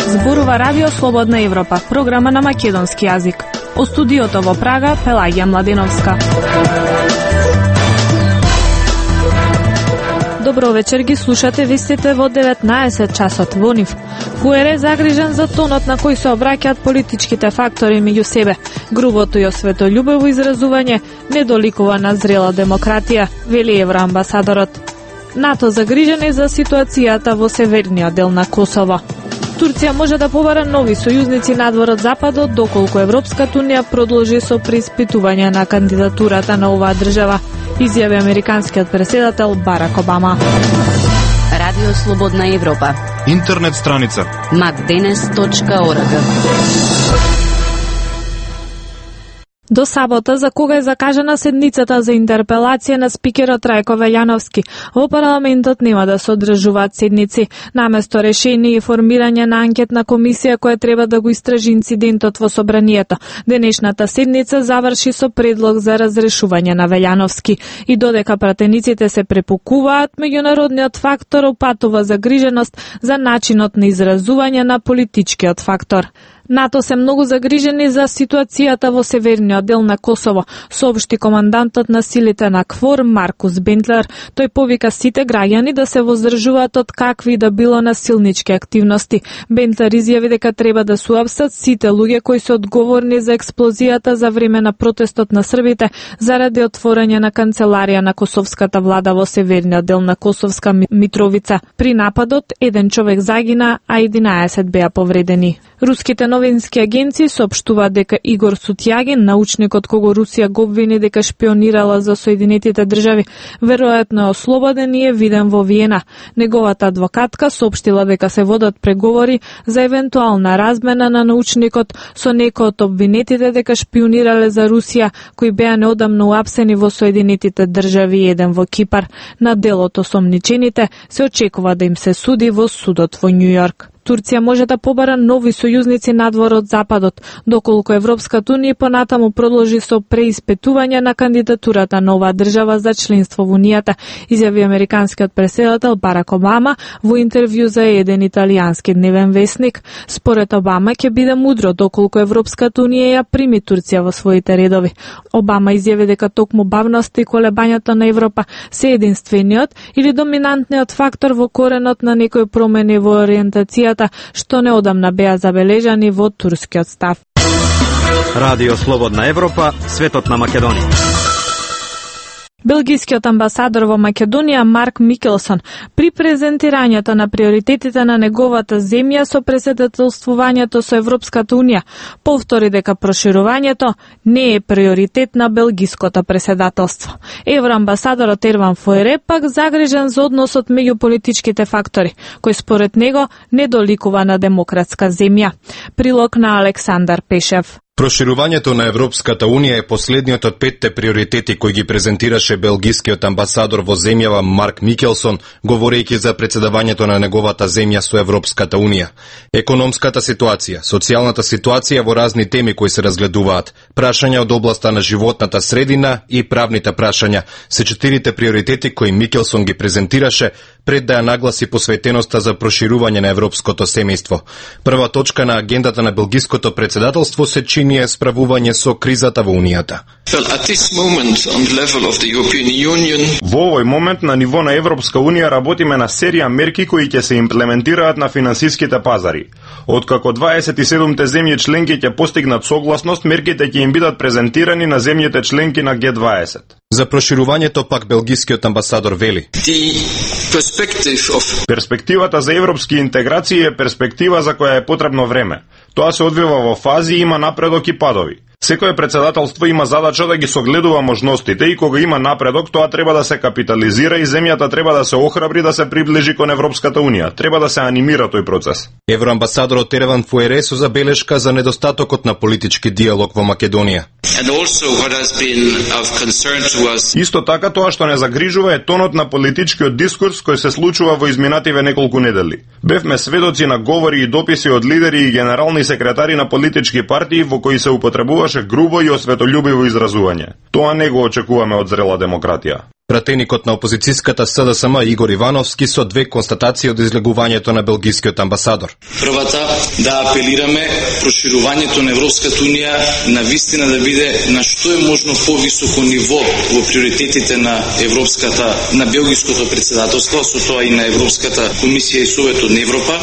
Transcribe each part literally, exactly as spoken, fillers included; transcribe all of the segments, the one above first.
Зборува Радио Слободна Европа, програма на македонски јазик. О студиото во Прага, Пелагија Младеновска. Добро вечер, ги слушате вестите во деветнаесет часот во НИФ. Фуере загрижен за тонот на кој се обраќаат политичките фактори меѓу себе. Грубото и осветољубиво изразување не доликува на зрела демократија, вели евроамбасадорот. НАТО загрижени за ситуацијата во северниот дел на Косово. Турција може да побара нови сојузници надвор од Западот, доколку Европската унија продолжи со преиспитување на кандидатурата на оваа држава, изјави американскиот претседател Барак Обама. Радио Слободна Европа. Интернет страница макденес точка орг. До сабота, за кога е закажана седницата за интерпелација на спикерот Рајко Велјановски, во парламентот нема да се одржуваат седници. Наместо решение и формирање на анкетна комисија која треба да го истражи инцидентот во собранието, денешната седница заврши со предлог за разрешување на Велјановски. И додека пратениците се препукуваат, меѓународниот фактор опатува загриженост за начинот на изразување на политичкиот фактор. НАТО се многу загрижени за ситуацијата во северниот дел на Косово, соопшти командантот на силите на КФОР Маркус Бентлер. Тој повика сите граѓани да се воздржуваат од какви да било насилнички активности. Бентлер изјави дека треба да се уапсат сите луѓе кои се одговорни за експлозијата за време на протестот на србите заради отворање на канцеларија на косовската влада во северниот дел на Косовска Митровица. При нападот еден човек загина, а единаесет беа повредени. Руските новински агенции соопштуваат дека Игор Сутјагин, научникот кого Русија го обвини дека шпионирала за Соединетите држави, веројатно е ослободен и е виден во Виена. Неговата адвокатка соопштила дека се водат преговори за евентуална размена на научникот со некој од обвинетите дека шпионирале за Русија, кои беа неодамно уапсени во Соединетите држави и еден во Кипар. На делот осомничените се очекува да им се суди во судот во Њу Јорк. Турција може да побара нови сојузници надвор од Западот, доколку Европската унија понатаму продолжи со преиспитување на кандидатурата на оваа држава за членство во Унијата, изјави американскиот претседател Барак Обама во интервју за еден италијански дневен весник. Според Обама ќе биде мудро доколку Европската унија ја прими Турција во своите редови. Обама изјави дека токму бавноста и колебањето на Европа се единствениот или доминантниот фактор во коренот на некои промени во ориентацијата што неодамна беа забележани во турскиот став. Радио Слободна Европа, светот на Македонија. Белгискиот амбасадор во Македонија Марк Микелсон при презентирањето на приоритетите на неговата земја со претседателствувањето со Европската унија повтори дека проширувањето не е приоритет на белгиското претседателство. Евроамбасадорот Ерван Фуере пак загрижен за односот меѓу политичките фактори, кој според него не доликува на демократска земја. Прилог на Александар Пешев. Проширувањето на Европската унија е последниот од петте приоритети кои ги презентираше белгискиот амбасадор во земјава Марк Микелсон, говорејќи за претседавањето на неговата земја со Европската унија. Економската ситуација, социјалната ситуација во разни теми кои се разгледуваат, прашања од областа на животната средина и правните прашања се четирите приоритети кои Микелсон ги презентираше пред да ја нагласи посветеноста за проширување на европското семејство. Прва точка на агендата на белгиското претседателство се чини е справување со кризата во Унијата. Во овој момент на ниво на Европска Унија работиме на серија мерки кои ќе се имплементираат на финансиските пазари. Откако дваесет и седумте земји членки ќе постигнат согласност, мерките ќе им бидат презентирани на земјите членки на Г дваесет. За проширувањето пак белгискиот амбасадор вели: Перспективата за европски интеграции е перспектива за која е потребно време. Тоа се одвива во фази и има напредок и падови. Секое председателство има задача да ги согледува можностите и кога има напредок, тоа треба да се капитализира и земјата треба да се охрабри да се приближи кон Европската Унија. Треба да се анимира тој процес. Евроамбасадорот Ерван Фуере со забелешка за недостатокот на политички диалог во Македонија. Исто така тоа што не загрижува е тонот на политичкиот дискурс кој се случува во изминативе неколку недели. Бевме сведоци на говори и дописи од лидери и генерални секретари на политички партии во кои се употребуваше грубо и осветољубиво изразување. Тоа не го очекуваме од зрела демократија. Пратеникот на опозицијската С Д С М Игор Ивановски со две констатации од излегувањето на белгискиот амбасадор. Првата, да апелираме проширувањето на Европската унија на вистина да биде на што е можно повисоко ниво во приоритетите на Европската, на белгиското председателство, со тоа и на Европската комисија и Советот на Европа.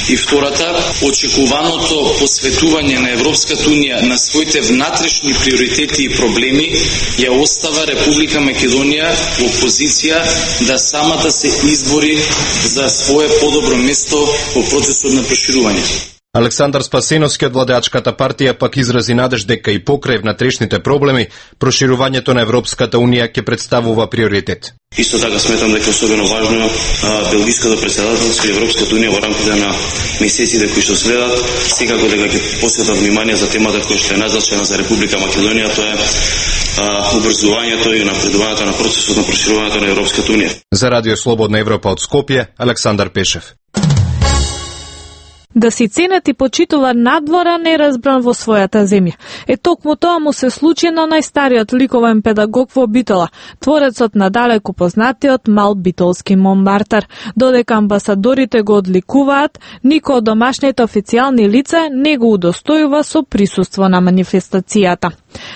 И втората, очекуваното посветување на Европската унија на своите внатрешни приоритети и проблеми ја остава Република Македонија во позиција да самата се избори за свое подобро место во процесот на проширување. Александар Спасеновски од владеачката партија пак изрази надеж дека и покрај внатрешните проблеми, проширувањето на Европската унија ќе представува приоритет. Исто така сметам дека особено важно белгиското председателство и Европската унија во рамките на месеците кои што следат, секако дека ќе посветат внимание за темата која што е назначена за Република Македонија, тоа е убрзувањето и напредувањето на процесот на проширувањето на Европската унија. За Радио Слободна Европа од Скопје, Александар Пешев. Да си ценет и почитува надвора неразбран во својата земја. Е токму тоа му се случи на најстариот ликовен педагог во Битола, творецот на далеку познатиот мал битолски Монмартар. Додека амбасадорите го одликуваат, никој од домашните официјални лица не го удостојува со присуство на манифестацијата.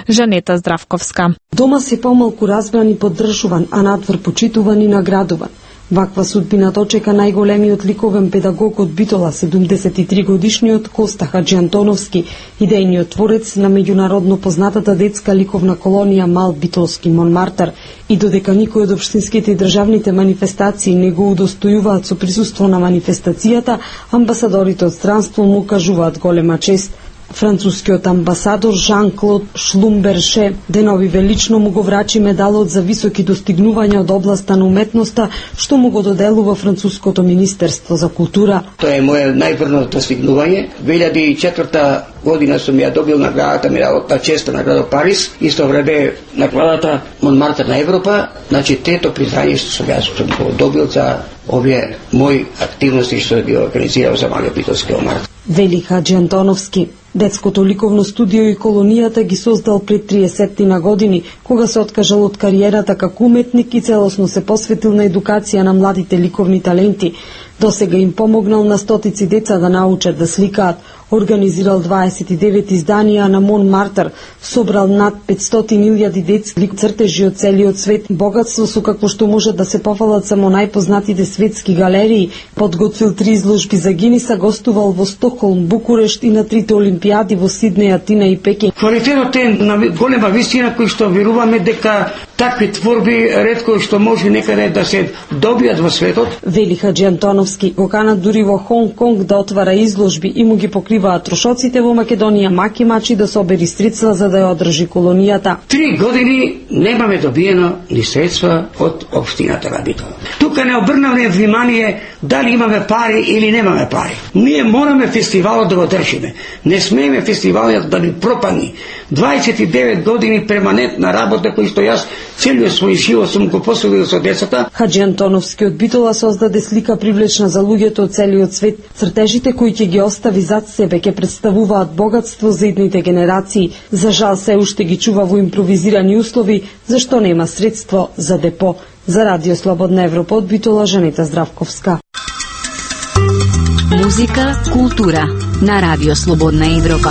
Жанета Здравковска. Дома се помалку разбран и поддржуван, а надвор почитуван и наградуван. Ваква судбина дочека најголемиот ликовен педагог од Битола, седумдесет и три годишниот Коста Хаджиантоновски, идејниот творец на меѓународно познатата детска ликовна колонија Мал битолски Монмартар. И додека никој од општинските и државните манифестации не го удостојуваат со присуство на манифестацијата, амбасадорите од странство му кажуваат голема чест. Францускиот амбасадор Жан-Клод Шлумберше денови велично му го врачи медалот за високи достигнувања од областа на уметноста, што му го доделува Француското министерство за култура. Тоа е моје најврно достигнување. две илјади и четврта година сум ја добил наградата Медалот честа награда Париз, исто време наградата Монмартар на Европа, значи трето признање што сум јас сум го добил за овие мои активности што ги организирав за малиот битолски Монмартар. Вели Хаджи Антоновски. Детското ликовно студио и колонијата ги создал пред триесет на години, кога се откажал од кариерата како уметник и целосно се посветил на едукација на младите ликовни таленти. Досега им помогнал на стотици деца да научат да сликаат, организирал дваесет и девет изданија на Монмартар, собрал над петстотини илјади детски цртежи од целиот свет, богатство со какво што можат да се пофалат само најпознатите светски галерии, подготвил три изложби за Гиниса, гостувал во Стокхолм, Букурешт и на трите олимпијади во Сиднеј, Атина и Пекин. Квалитетот е на голема вистина кој што веруваме дека такви творби ретко што може некаде да се добијат во светот. Вели Хаджи Антоновски, го канат дури во Хонг Конг да отвара изложби и му ги покриваат трошоците во Македонија, маки мачи да собери средства за да ја одржи колонијата. Три години немаме добиено ни средства од општината на Битола. Тука не обрнавме внимание дали имаме пари или немаме пари. Ние мораме фестивалот да го држиме. Не смееме фестивалот да ни пропадне. дваесет и девет години перманентна работа кој што јас целиот свој живот сум го посветил со децата. Хаджи Антоновски од Битола создаде слика привлечна за луѓето од целиот свет. Цртежите кои ќе ги остави зад себе ќе представуваат богатство за идните генерации. За жал се уште ги чува во импровизирани услови, зашто нема средство за депо. За Радио Слободна Европа од Битола, Жанета Здравковска. Музика, култура на Радио Слободна Европа.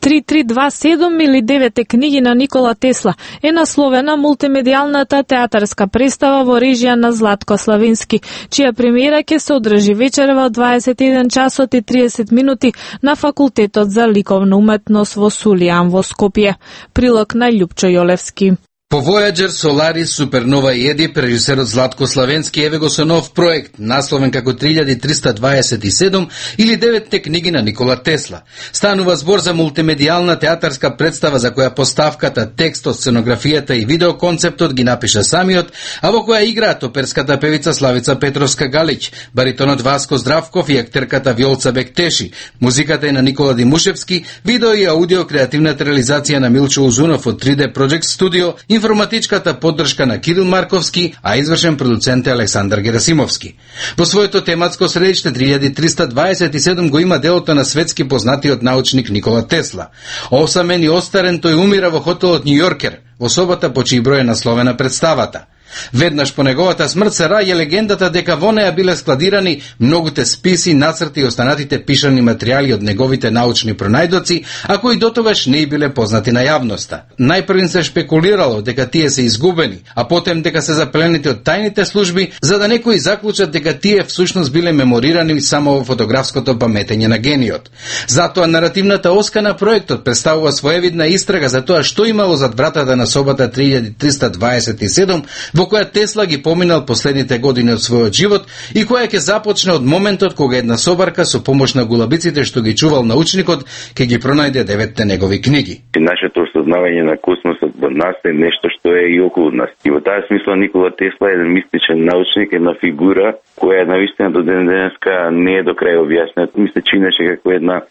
три три два седум или девете книги на Никола Тесла е насловена мултимедијалната театарска представа во режија на Златко Славински, чија премиера ќе се одржи вечерва од дваесет и еден часот и триесет минути на Факултетот за ликовна уметност во Сулијан во Скопје. Прилог на Љупчо Јолевски. По Voyager, Solaris, Supernova и Едип, режисерот Златко Славенски еве го со нов проект, насловен како три илјади триста дваесет и седум или деветте книги на Никола Тесла. Станува збор за мултимедијална театарска представа за која поставката, текстот, сценографијата и видеоконцептот ги напиша самиот, а во која играат оперската певица Славица Петровска-Галич, баритонот Васко Здравков и актерката Вјолца Бектеши. Музиката е на Никола Димушевски, видео и аудио креативната реализација на Милчо Узунов од три Д Project Studio, информатичката поддршка на Кирил Марковски, а извршен продуцент е Александар Герасимовски. Во своето тематско средиште три илјади триста дваесет и седум го има делото на светски познатиот научник Никола Тесла. Осамен и остарен, тој умира во хотелот Њујоркер. во собота по чиј број е насловена представата. Веднаш по неговата смрт се раѓа легендата дека во неа биле складирани многуте списи, нацрти и останатите пишани материјали од неговите научни пронајдоци, а кои дотогаш не биле познати на јавноста. Најпрвин се шпекулирало дека тие се изгубени, а потем дека се запленети од тајните служби, за да некои заклучат дека тие всушност биле меморирани само во фотографското паметење на гениот. Затоа наративната оска на проектот представува своевидна истрага за тоа што имало зад вратата на собата три илјади триста дваесет и седум, во која Тесла ги поминал последните години од својот живот и која ќе започне од моментот кога една собарка со помош на гулабиците што ги чувал научникот ќе ги пронајде деветте негови книги. Нашето осознавање на космосот во нас е нешто што е и околу нас. И во таа смисла Никола Тесла е еден мистичен научник, една фигура која навистина до ден денеска не е до крај објаснета. Ми се чинеше како една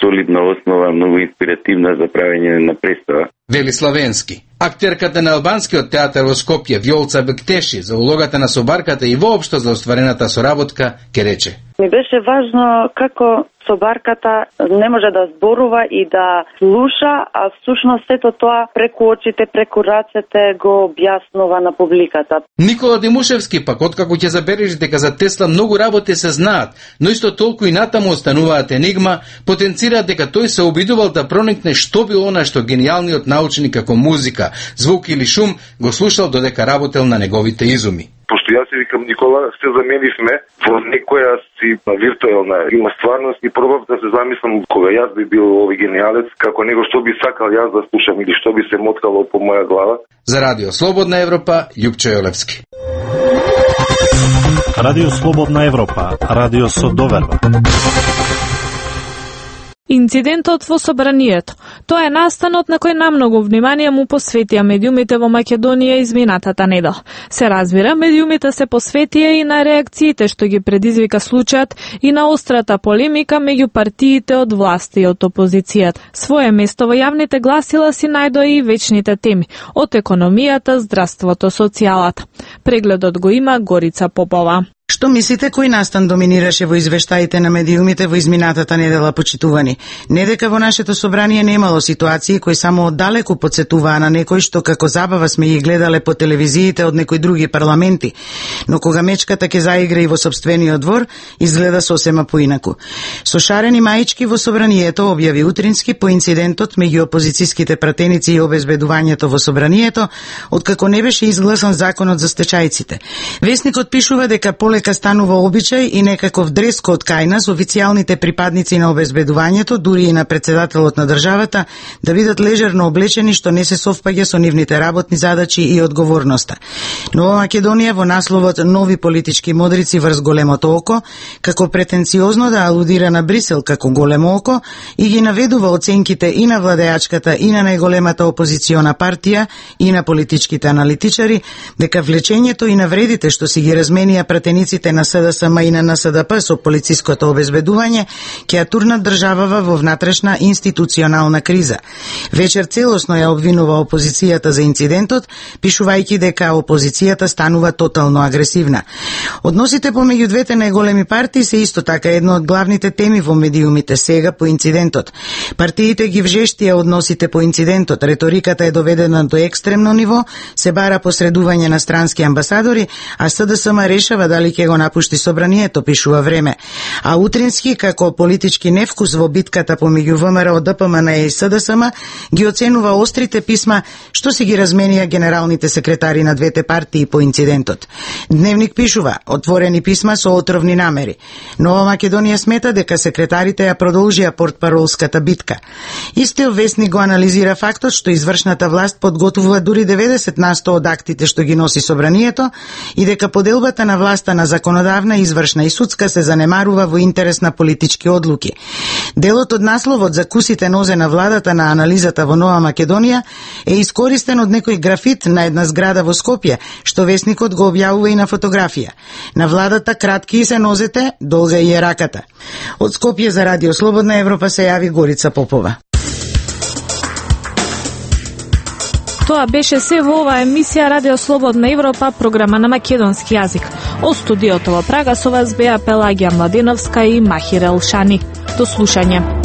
солидна основа, многу инспиративна за правење на представа. Вели Славенски. Актерката на албанскиот театар во Скопје, Вјолца Бектеши, за улогата на собарката и воопшто за остварената соработка, ке рече: Ми беше важно како собарката не може да зборува и да слуша, а всушност сето тоа преку очите, преку рацете го објаснува на публиката. Никола Димушевски пак, откако ќе забележи дека за Тесла многу работи се знаат, но исто толку и натаму остануваат енигма, потенцира дека тој се обидувал да проникне што било она што гениалниот научник како музика, звук или шум го слушал додека работел на неговите изуми. Пошто јас се викам Никола, се заменивме во некоја си виртуелна има стварност и пробав да се замислам кога јас би бил овој гениалец, како него што би сакал јас да слушам или што би се моткало по моја глава. За Радио Слободна Европа, Љупчо Јолевски. Радио Слободна Европа, радио со доверба. Инцидентот во собранието. Тоа е настанот на кој намногу внимание му посветија медиумите во Македонија изминатата недела. Се разбира, медиумите се посветија и на реакциите што ги предизвика случајот и на острата полемика меѓу партиите од власта и од опозицијата. Своје место во јавните гласила си најдоа и вечните теми од економијата, здравството, социјалата. Прегледот го има Горица Попова. Што мислите кој настан доминираше во извештаите на медиумите во изминатата недела, почитувани? Не дека во нашето собрание немало ситуации кои само оддалеку подсетуваа на некој што како забава сме ги гледале по телевизиите од некои други парламенти, но кога мечката ќе заигра и во сопствениот двор, изгледа сосема поинаку. Со шарени маички во собранието објави Утрински по инцидентот меѓу опозицијските пратеници и обезбедувањето во собранието, откако не беше изгласан законот за стечајците. Весникот пишува дека полека станува обичај и некаков дрес-код кај нас официјалните припадници на обезбедувањето, дури и на председателот на државата, да бидат лежерно облечени што не се совпаѓа со нивните работни задачи и одговорноста. Нова Македонија во насловот Нови политички модрици врз големото око, како претенциозно да алудира на Брисел како големо око и ги наведува оценките и на владеачката и на најголемата опозициона партија и на политичките аналитичари, дека влечењето и навредите што си ги разменија пратеници на СДСМ и на Н С Д П со полициското обезбедување ќе ја турнат државава во внатрешна институционална криза. Вечер целосно ја обвинува опозицијата за инцидентот, пишувајќи дека опозицијата станува тотално агресивна. Односите помеѓу двете најголеми партии се исто така едно од главните теми во медиумите сега по инцидентот. Партиите ги вжештија односите по инцидентот, реториката е доведена до екстремно ниво, се бара посредување на странски амбасадори, а СДСМ решава дали ќе го напушти собранието, пишува Време. А Утрински, како политички невкус во битката помеѓу ВМРО, Д П М Н и СДСМ, ги оценува острите писма што си ги разменија генералните секретари на двете партии по инцидентот. Дневник пишува отворени писма со отровни намери. Нова Македонија смета дека секретарите ја продолжија портпаролската битка. Истиот весник го анализира фактот што извршната власт подготвува дури деветдесет на сто од актите што ги носи собранието и дека поделбата на власта на законодавна, извршна и судска се занемарува во интерес на политички одлуки. Делот од насловот за кусите нозе на владата на анализата во Нова Македонија е искористен од некој графит на една зграда во Скопје, што весникот го објавува и на фотографија. На владата кратки се нозете, долга и е раката. Од Скопје за Радио Слободна Европа се јави Горица Попова. Тоа беше се во оваа емисија Радио Слободна Европа, програма на македонски јазик. Од студиото во Прага со вас беа Пелагија Младеновска и Махир Елшани. До слушање.